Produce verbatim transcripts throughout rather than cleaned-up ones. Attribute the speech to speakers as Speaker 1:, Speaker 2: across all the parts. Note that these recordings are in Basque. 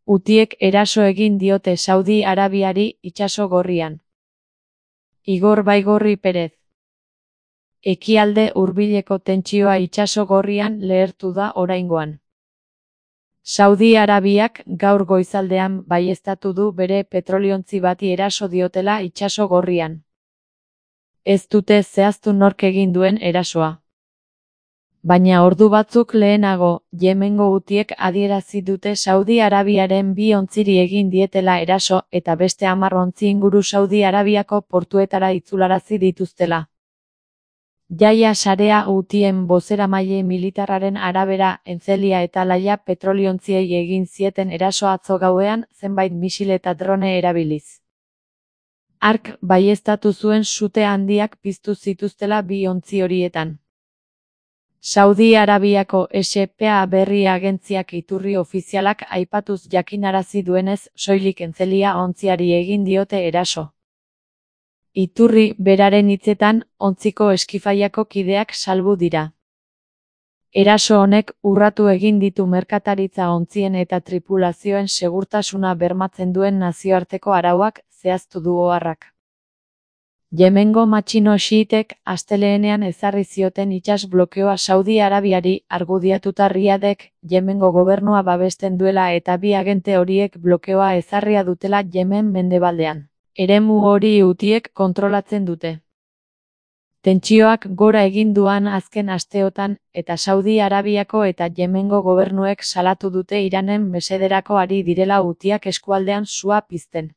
Speaker 1: Hutiek eraso egin diote Saudi Arabiari itsaso gorrian. Igor Baigorri Perez. Ekialde hurbileko tentsioa itsaso gorrian lehertu da oraingoan. Saudi Arabiak gaur goizaldean baieztatu du bere petroliontzi bati eraso diotela itsaso gorrian. Ez dute zehaztu nork egin duen erasoa. Baina ordu batzuk lehenago, Yemengo hutiek adierazi dute Saudi Arabiaren bi ontziri egin dietela eraso eta beste hamar ontzi inguru Saudi Arabiako portuetara itzularazi dituztela. Jaia Sarea hutien bozeramaile militarraren arabera Entzelia eta Laia petroliontziei egin zieten eraso atzo gauean zenbait misil eta drone erabiliz. Hark baieztatu zuen sute handiak piztu zituztela bi ontzi horietan. Saudi Arabiako S P A berri agentziak iturri ofizialak aipatuz jakinarazi duenez soilik Entzelia ontziari egin diote eraso. Iturri beraren hitzetan, ontziko eskifaiako kideak salbu dira. Eraso honek urratu egin ditu merkataritza ontzien eta tripulazioen segurtasuna bermatzen duen nazioarteko arauak, zehaztu du oharrak. Yemengo matxino xiitek astelehenean ezarri zioten itsas blokeoa Saudi Arabiari argudiatuta Riadek Yemengo gobernua babesten duela eta bi agente horiek blokeoa ezarria dutela Yemen mendebaldean. Eremu hori hutiek kontrolatzen dute. Tentsioak gora egin duan azken asteotan eta Saudi Arabiako eta Yemengo gobernuek salatu dute Iranen mesederako ari direla hutiak eskualdean sua pizten.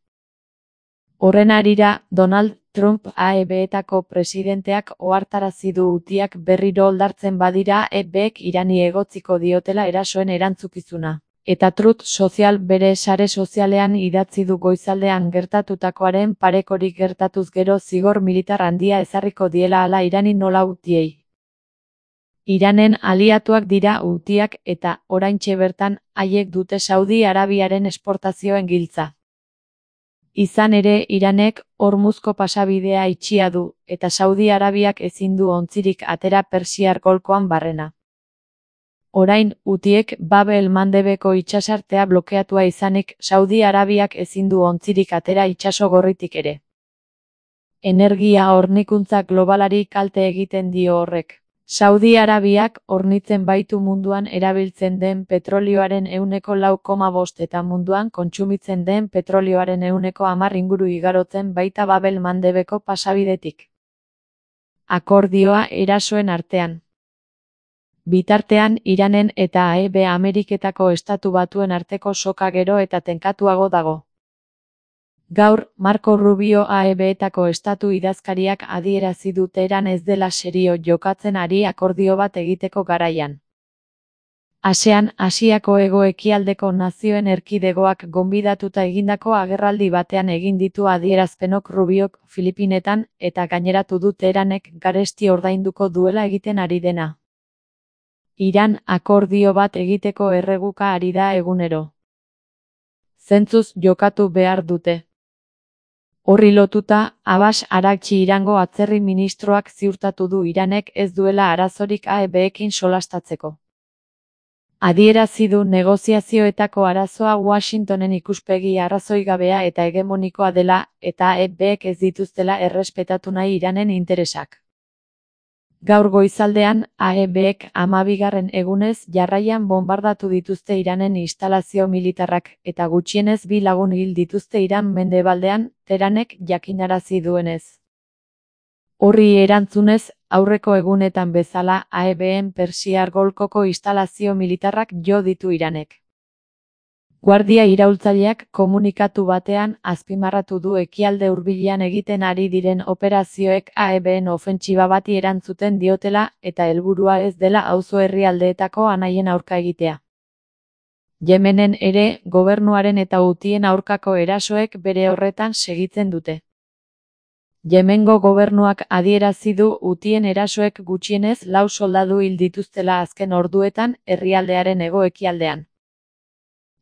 Speaker 1: Horren harira, Donald Trump A E B-etako presidenteak ohartarazi du hutiak berriro oldartzen badira E Bek Irani egotziko diotela erasoen erantzukizuna. Eta Truth Social bere sare sozialean idatzi du goizaldean gertatutakoaren parekorik gertatuz gero zigor militar handia ezarriko diela hala Irani nola hutiei. Iranen aliatuak dira hutiak eta oraintxe bertan haiek dute Saudi Arabiaren esportazioen giltza. Izan ere Iranek Hormuzko pasabidea itxia du, eta Saudi Arabiak ezin du ontzirik atera Persiar golkoan barrena. Orain, hutiek Babel Mandebeko itsasartea blokeatua izanik Saudi Arabiak ezin du ontzirik atera itsaso gorritik ere. Energia hornikuntza globalari kalte egiten dio horrek. Saudi Arabiak hornitzen baitu munduan erabiltzen den petrolioaren ehuneko lau koma bost eta munduan kontsumitzen den petrolioaren ehuneko hamar inguru igarotzen baita Babel Mandebeko pasabidetik. Akordioa erasoen artean. Bitartean Iranen eta A E B Ameriketako Estatu Batuen arteko soka gero eta tenkatuago dago. Gaur, Marco Rubio A E B-etako estatu idazkariak adierazi du Teheran ez dela serio jokatzen ari akordio bat egiteko garaian. ASEAN, Asiako hego-ekialdeko nazioen erkidegoak gonbidatuta egindako agerraldi batean egin ditu adierazpenok Rubiok Filipinetan eta gaineratu du Teheranek garesti ordainduko duela egiten ari dena. Iran akordio bat egiteko erreguka ari da egunero. Zentzuz jokatu behar dute. Horri lotuta, Abbas Araghchi Irango atzerri ministroak ziurtatu du Iranek ez duela arazorik A E B-ekin solastatzeko. Adierazi du negoziazioetako arazoa Washingtonen ikuspegi arrazoigabea eta hegemonikoa dela eta A E B-ek ez dituztela errespetatu nahi Iranen interesak. Gaur goizaldean, A E B-ek hamabigarren egunez jarraian bonbardatu dituzte Iranen instalazio militarrak eta gutxienez bi lagun hil dituzte Iran mendebaldean, Teheranek jakinarazi duenez. Horri erantzunez, aurreko egunetan bezala A E B-en Persiar golkoko instalazio militarrak jo ditu Iranek. Guardia iraultzaileak komunikatu batean azpimarratu du ekialde hurbilean egiten ari diren operazioek A E B-en ofentsiba bati erantzuten diotela eta helburua ez dela auzo herrialdeetako anaien aurka egitea. Yemenen ere, gobernuaren eta hutien aurkako erasoek bere horretan segitzen dute. Yemengo gobernuak adierazi du hutien erasoek gutxienez lau soldadu hil dituztela azken orduetan herrialdearen hego-ekialdean.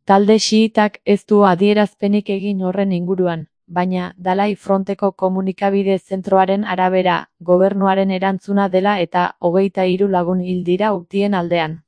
Speaker 1: Talde xiitak ez du adierazpenik egin horren inguruan, baina Dalai Fronteko komunikabide zentroaren arabera, gobernuaren erantzuna dela eta hogeita hiru lagun hil dira hutien aldean.